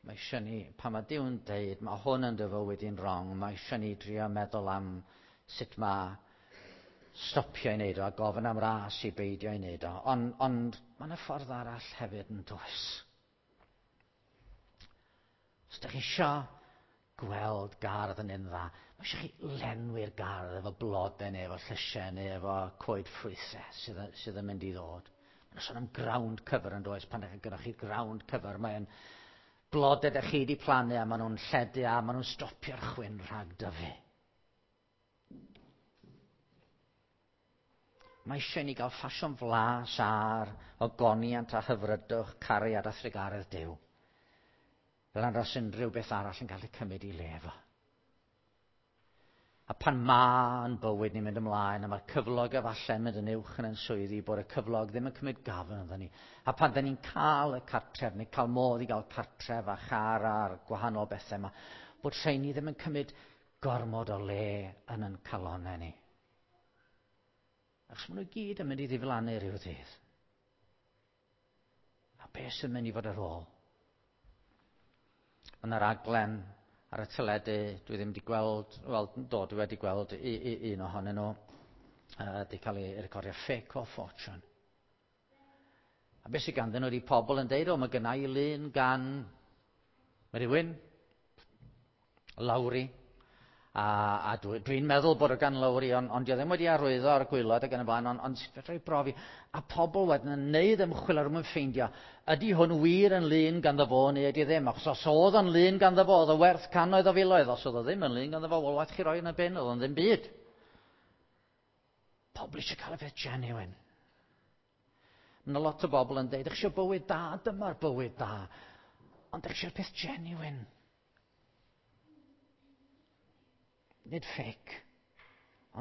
Mae eisiau ni, pan mae Duw'n deud, mae hwn yn dy fywyd i'n wrong, mae eisiau ni drio meddwl am sut mae stopio i wneud o a gofyn am ras i beidio i wneud o. Ond, ond mae yna ffordd arall hefyd yn does. Os ydych chi eisiau gweld gardd yn un dda, mae eisiau chi lenwi'r gardd efo blodau neu efo llysiau neu efo coed ffrwythau sydd, sydd yn mynd i ddod. Mae'n sôn am ground cover yn does, pan ydych chi chi ground cover, mae'n blodau ydych chi wedi plannu a maen nhw'n lledu a maen nhw'n stopio'r chwyn rhag dyfu. Mae eisiau ni gael ffasiwn flas ar ogoniant a hyfrydwch, cariad a thrugaredd Duw. Fel nad oes unrhyw beth arall yn cael ei cymryd i le efo. A pan ma'n bywyd ni'n mynd ymlaen, a mae'r cyflog efallai mynd yn uwch yn ein swyddi, bod y cyflog ddim yn cymryd gafel ynddyn ni. A pan da ni'n cael y cartref, neu cael modd i gael cartref a char a'r gwahanol bethau yma, bod rhain ni ddim yn cymryd gormod o le yn ein calonnau ni. Achos maen nhw gyd yn mynd i ddiflannu rhyw ddydd. A beth sy'n mynd i fod ar ôl? Mae yna raglen ar y teledu, dwi ddim wedi gweld, wel, do, dwi wedi gweld i, i, un ohonyn nhw, uh, wedi cael ei recordio, Fake or Fortune. A beth sydd ganddyn nhw ydi pobl yn deud, o, mae gynna i lun gan rhywun, Lowry, a, a dwi'n dwi meddwl bod o gan Lowry, ond on dio ddim wedi arwyddo ar y gwaelod ac yn y blaen, ond on, fedra i brofi. A pobl wedyn yn neud ymchwil ar mwyn ffeindio, ydy hwn wir yn lun ganddo fo neu ydy ddim? Achos os oedd o'n lun ganddo fo, oedd o werth cannoedd o filoedd. Os oedd o ddim yn lun ganddo fo, wel, waeth chi roi yn y bin, oedd o'n ddim byd. Pobl eisiau cael y peth genuine. Mae yna lot o bobl yn deud, ydych chi eisiau bywyd da, dyma'r bywyd da. Ond ydych chi eisiau'r peth genuine. Nid fake,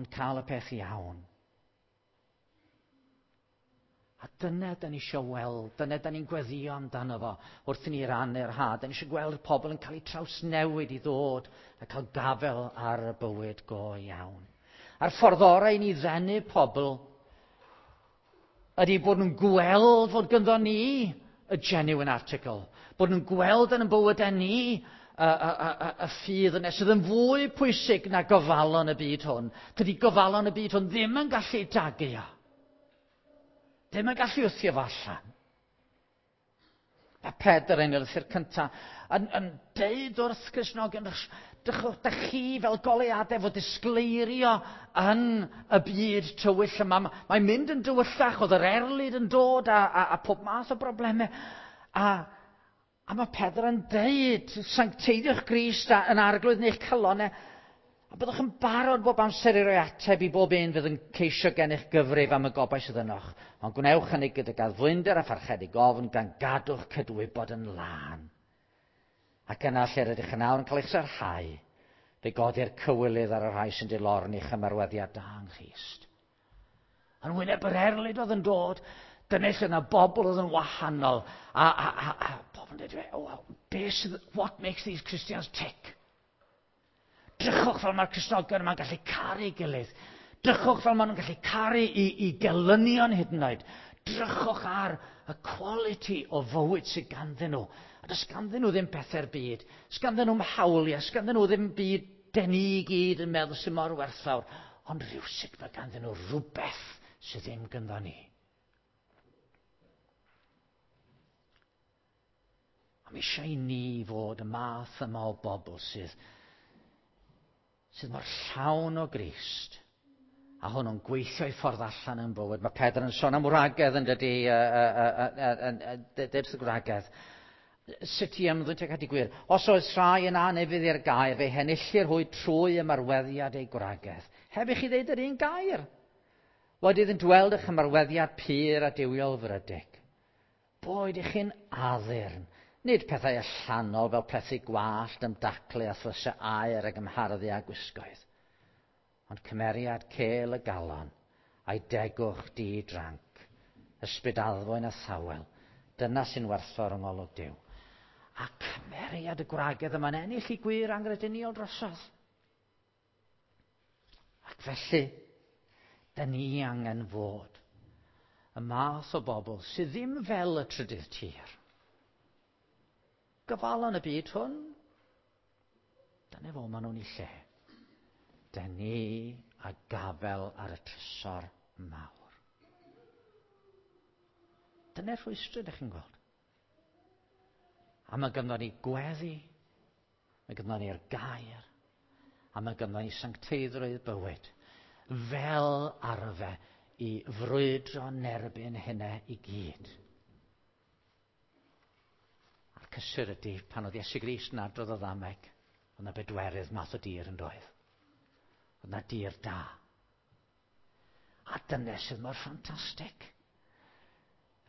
ond cael y peth iawn. A dyna da ni eisiau weld, dyna da ni'n gweddio amdano fo wrth i ni rannu'r had. Da ni eisiau gweld pobl yn cael eu trawsnewid i ddod a cael gafel ar y bywyd go iawn. A'r ffordd orau i ni ddenu pobl ydy bod nhw'n gweld fod ganddo ni y genuine article, bod nhw'n gweld yn y bywydau ni y, y, y, y ffydd yna sydd yn fwy pwysig na gofalon y byd hwn. Dydy gofalon y byd hwn ddim yn gallu dagu o. Ddim yn gallu wthio fo allan. Mae Pedr yn y lythyr cyntaf yn, yn deud wrth Cristnogion, dych chi fel goleuadau fod disgleirio yn y byd tywyll yma. Mae'n mynd yn dywyllach, oedd yr erlid yn dod a, a, a pob math o broblemau. A, a mae Pedr yn deud, sancteiddiwch Grist yn arglwydd neu'ch calonnau, a byddwch yn barod bob amser i roi ateb i bob un fydd yn ceisio gennych gyfrif am y gobaith sydd ynoch. Ond gwnewch hynny gydag addfwynder a pharchedig ofn gan gadw'ch cydwybod yn lân. Ac yna lle rydych yn awr yn cael eich sarhau, fe godi'r cywilydd ar y rhai sy'n dilorni eich ymarweddiad da yng Nghrist. Yn wyneb yr erlid oedd yn dod, dyna lle yna bobl oedd yn wahanol. A, a, a, a bobl yn dweud, oh, beth sydd, what makes these Christians tick? Drychwch fel mae'r Cristnogion yma'n gallu caru gilydd. Drychwch fel maen nhw'n gallu caru i, i gelynion hyd yn oed. Drychwch ar y quality o fywyd sydd ganddyn nhw. A does ganddyn nhw ddim pethau'r byd. Does ganddyn nhw'm hawliau. Does ganddyn nhw ddim byd den ni i gyd yn meddwl sydd mor werthfawr. Ond rhywsut mae ganddyn nhw rhywbeth sydd ddim gyda ni. A mae eisiau i ni fod y math yma o bobl sydd sydd mor llawn o Grist A hwnnw'n gweithio i ffordd allan yn bywyd. Mae Pedr yn sôn am wragedd yn dydy, dweud y gwragedd. Sut i ymddwyn tuag at y gwir? Os oes rhai yn anufudd i'r gair, fe henillir hwy trwy ymarweddiad eu gwragedd. Heb i chi ddeud yr un gair. Wedi iddynt weld eich ymarweddiad pur a duwiol frydeg. Boed i chi'n addurn. Nid pethau allanol fel plethu gwallt, ymdaclu a thlysau aer ac ymharddu a gwisgoedd. Ond cymeriad cêl y galon, a'i degwch di-dranc, ysbryd addfwyn a thawel, dyna sy'n werthfawr yng ngolwg Duw. A cymeriad y gwragedd yma'n ennill i gwir angrediniol drosodd. Ac felly, da ni angen fod y math o bobl sydd ddim fel y trydydd tir. Gyfalon y byd hwn, dyna fo maen nhw'n ei lle. Da ni a gafel ar y trysor mawr. Dyna'r rhwystr ydych chi'n gweld. A mae ganddo ni gweddi, mae ganddo ni'r gair, a mae ganddo ni sancteiddrwydd bywyd, fel arfe i frwydro nerbyn hynna i gyd. A'r cysur ydy, pan oedd Iesu Grist yn adrodd o ddameg, oedd yna bedwerydd math o dir yn doedd. Oedd yna dir da. A dyna sydd mor ffantastig.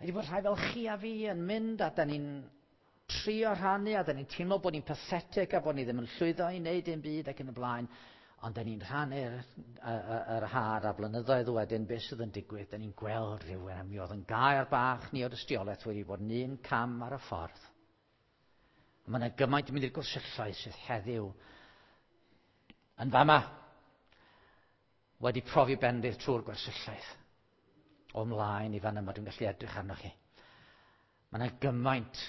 Ydy bod rhai fel chi a fi yn mynd a da ni'n trio rhannu a da ni'n teimlo bod ni'n pathetic a bod ni ddim yn llwyddo i wneud dim byd ac yn y blaen. Ond da ni'n rhannu'r yr har a blynyddoedd wedyn beth sydd yn digwydd. Da ni'n gweld rhywun a mi oedd yn gair bach ni o dystiolaeth wedi bod yn un cam ar y ffordd. A mae yna gymaint yn mynd i'r gwersylloedd sydd heddiw yn fama wedi profi bendith trwy'r gwersylloedd. O mlaen i fan yma, dwi'n gallu edrych arnoch chi. Mae yna gymaint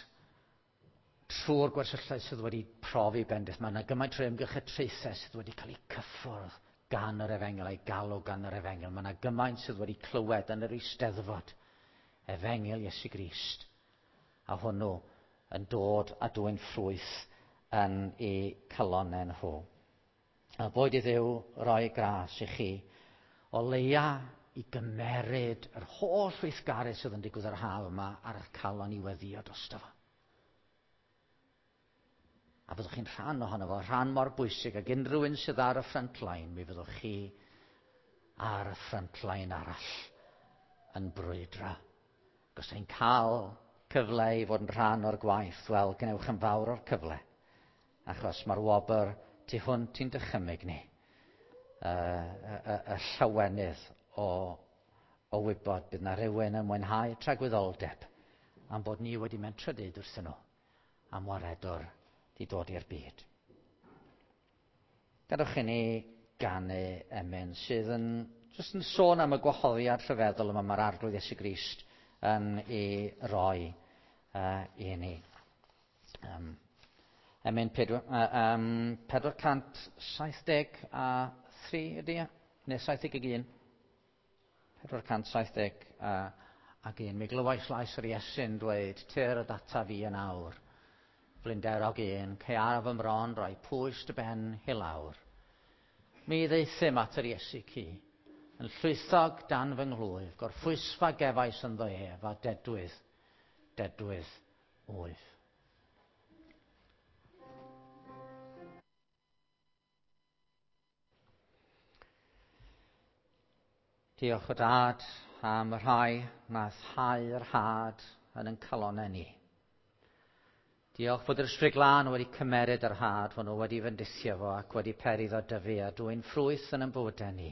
trwy'r gwersylloedd sydd wedi profi bendith. Mae yna gymaint trwy ymgyrch y traethau sydd wedi cael eu cyffwrdd gan yr efengyl, a'i galw gan yr efengyl. Mae yna gymaint sydd wedi clywed yn yr eisteddfod efengyl Iesu Grist. A hwnnw yn dod a dwyn ffrwyth yn eu calonnau nhw. A boed i Dduw roi gras i chi o leia i gymeryd yr holl weithgaredd sydd yn digwydd yr haf yma ar eich calon i weddio drosto fo. A fyddwch chi'n rhan ohono fo, rhan mor bwysig ag unrhyw un sydd ar y front line, mi fyddwch chi ar y front line arall yn brwydro. Os chi'n cael cyfle i fod yn rhan o'r gwaith, wel, gwnewch yn fawr o'r cyfle. Achos mae'r wobr tu hwnt i'n dychymyg ni. Y, y, y, y llawenydd o, o wybod bydd na rhywun yn mwynhau tragwyddoldeb am bod ni wedi mentro deud wrthyn nhw am waredwr di dod i'r byd. Gadewch i ni ganu emyn sydd yn, jyst yn sôn am y gwahoddiad rhyfeddol yma mae'r Arglwydd Iesu Grist yn ei roi uh, i ni. Um, emyn pedwar, uh, um, pedwar cant saith deg a thri ydy e? Neu saith deg un? pedwar cant saith deg ac un. Mi glywais lais yr Iesu'n dweud, tyr y data fi yn awr. Blinderog un, caearaf fy mron, roi pwys dy ben i lawr. Mi ddeithym at yr Iesu ci, yn llwythog dan fy nghlwyf, gorffwysfa gefais ynddo ef, a dedwydd, dedwydd wyf. Diolch o Dad am y rhai nath hau'r had yn ein calonnau ni. Diolch fod yr Ysbryd Glân wedi cymeryd yr had hwnnw, wedi fendithio fo ac wedi peri iddo dyfu a dwyn ffrwyth yn ein bywydau ni.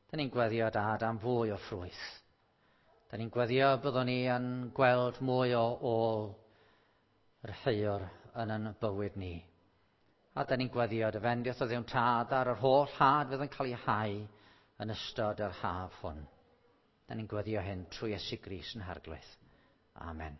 Da ni'n gweddio, Dad, am fwy o ffrwyth. Da ni'n gweddio byddwn ni yn gweld mwy o ôl yr heuwr yn ein bywyd ni. A da ni'n gweddio dy fendith o Dduw'n Tad ar yr holl had fydd yn cael ei hau yn ystod yr haf hwn. Da ni'n gweddio hyn trwy Iesu Grist yn Harglwydd. Amen.